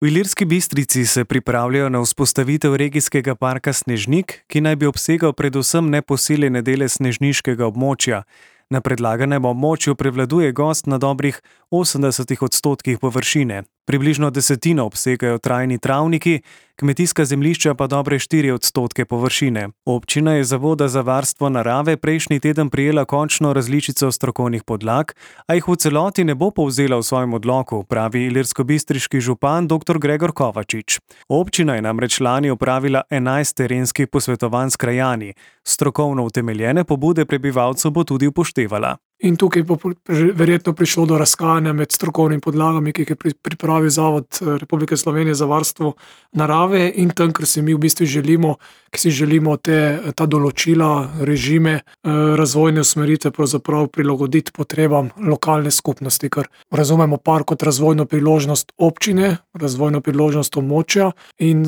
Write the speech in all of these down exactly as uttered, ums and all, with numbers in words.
V Ilirski Bistrici se pripravljajo na vzpostavitev regijskega parka Snežnik, ki naj bi obsegal predvsem neposeljene dele snežniškega območja. Na predlaganem območju prevladuje gozd na dobrih osemdesetih odstotkih površine. Približno desetino obsegajo trajni travniki, kmetijska zemljišča pa dobre štiri odstotke površine. Občina je Zavoda za varstvo narave prejšnji teden prejela končno različico strokovnih podlag, a jih v celoti ne bo povzela v svojem odloku, pravi ilirskobistriški župan dr. Gregor Kovačič. Občina je namreč lani opravila enajst terenskih posvetovanj s krajani. Strokovno utemeljene pobude prebivalcev bo tudi upoštevala. In tukaj bo verjetno prišlo do razkajanja med strokovnimi podlagami, ki jih je pripravil Zavod Republike Slovenije za varstvo narave in tam, ker si mi v bistvu želimo, ki si želimo te, ta določila, režime, razvojne usmeritve pravzaprav prilagoditi potrebam lokalne skupnosti, ker razumemo park kot razvojno priložnost občine, razvojno priložnost območja in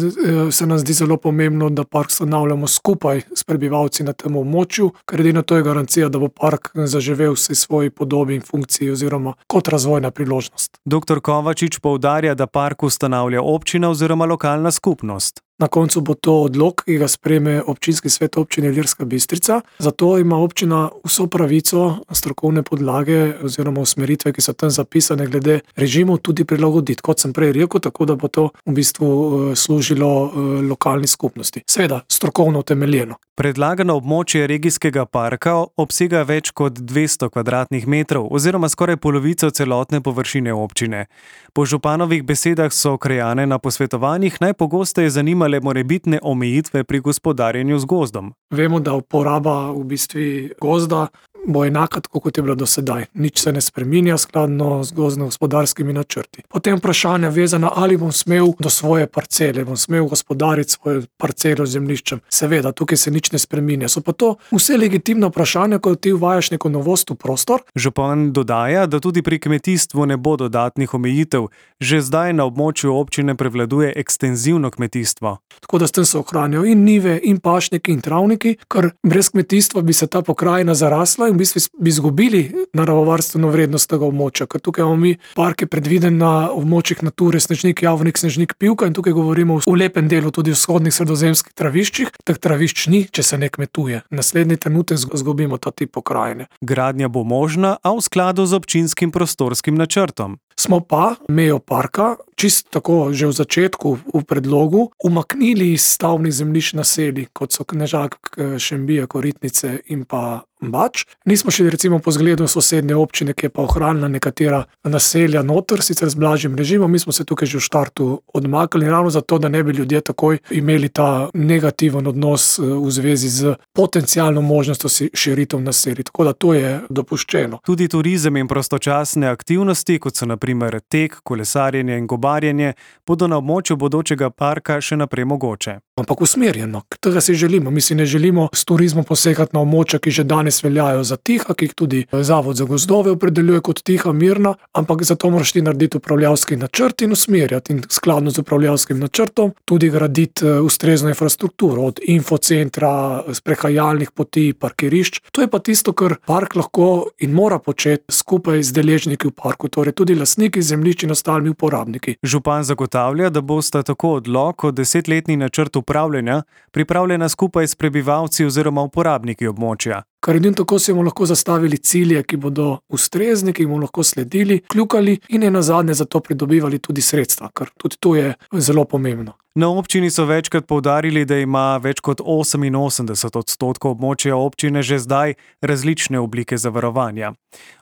se nam zdi zelo pomembno, da park stanavljamo skupaj s prebivalci na tem območju, ker edino to je garancija, da bo park zaživel vsej svoji podobi in funkciji oziroma kot razvojna priložnost. doktor Kovačič poudarja, da park ustanavlja občina oziroma lokalna skupnost. Na koncu bo to odlok, ki ga sprejme občinski svet občine Ilirska Bistrica. Zato ima občina vso pravico strokovne podlage oziroma usmeritve, ki so tam zapisane glede režimov, tudi prilagoditi, kot sem prej rekel, tako da bo to v bistvu služilo lokalni skupnosti. Seveda, strokovno utemeljeno. Predlagano območje regijskega parka obsega več kot dvesto kvadratnih metrov oziroma skoraj polovico celotne površine občine. Po županovih besedah so krajane na posvetovanjih najpogosteje zanimale morebitne omejitve pri gospodarjenju z gozdom. Vemo, da uporaba v bistvu gozda bo enaka, tako kot je bilo do sedaj. Nič se ne spreminja skladno z gozdno-gospodarskimi načrti. Potem vprašanja vezana, ali bom smel do svoje parcele, bom smel gospodariti svojo parcelo z zemljiščem. Seveda, tukaj se nič ne spreminja. So pa to vse legitimna vprašanja, ko ti uvajaš neko novost v prostor. Župan dodaja, da tudi pri kmetijstvu ne bo dodatnih omejitev. Že zdaj na območju občine prevladuje ekstenzivno kmetijstvo. Tako da s tem se ohranjajo in njive, in pašniki, in travniki, ker brez kmetijstva bi se ta pokrajina zarasla in v bistvu bi izgubili naravovarstveno vrednost tega območja, ker tukaj imamo mi parke predviden na območjih Nature, Snežnik, Javnik, Snežnik, Pivka in tukaj govorimo v lepem delu tudi v vzhodnih sredozemskih traviščih. Teh travišč ni, če se ne kmetuje. Naslednji trenutek izgubimo ta tip pokrajine. Gradnja bo možna, a v skladu z občinskim prostorskim načrtom. Smo pa mejo parka, čisto tako že v začetku v predlogu, umaknili iz stavbnih zemljišč naselij, kot so Knežak, Šembija, Koritnice in pa Bač. Nismo šli recimo po zgledu sosednje občine, ki je pa ohranila nekatera naselja noter, sicer z blažjim režimom. Mi smo se tukaj že v štartu odmaknili, ravno zato, da ne bi ljudje takoj imeli ta negativen odnos v zvezi z potencialno možnostjo širitev naselij. Tako da to je dopuščeno. Tudi turizem in prostočasne aktivnosti, kot so na primer tek, kolesarjenje in gobarjenje, bodo na območju bodočega parka še naprej mogoče. Ampak usmerjeno, tega si želimo. Mi si ne želimo s turizmom posegati na območja, ki že danes veljajo za tiha, ki jih tudi Zavod za gozdove opredeljuje kot tiha, mirna, ampak zato moraš ti narediti upravljavski načrt in usmerjati in skladno z upravljavskim načrtom tudi graditi ustrezno infrastrukturo, od infocentra, sprehajalnih poti, parkirišč. To je pa tisto, kar park lahko in mora početi skupaj z deležniki v parku, torej tudi lastniki zemljišč in ostalimi uporabniki. Župan zagotavlja, da bosta tako odlok kot desetletni načrt upravljanja pripravljena skupaj s prebivalci oziroma uporabniki območja. Kar edino tako si bomo lahko zastavili cilje, ki bodo ustrezni, ki bomo lahko sledili, kljukali in ne nazadnje za to pridobivali tudi sredstva, ker tudi to je zelo pomembno. Na občini so večkrat poudarili, da ima več kot oseminosemdeset odstotkov območja občine že zdaj različne oblike zavarovanja.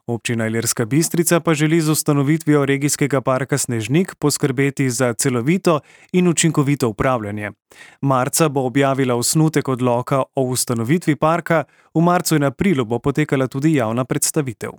Občina Ilirska Bistrica pa želi z ustanovitvijo regijskega parka Snežnik poskrbeti za celovito in učinkovito upravljanje. Marca bo objavila osnutek odloka o ustanovitvi parka, v marcu in aprilu bo potekala tudi javna predstavitev.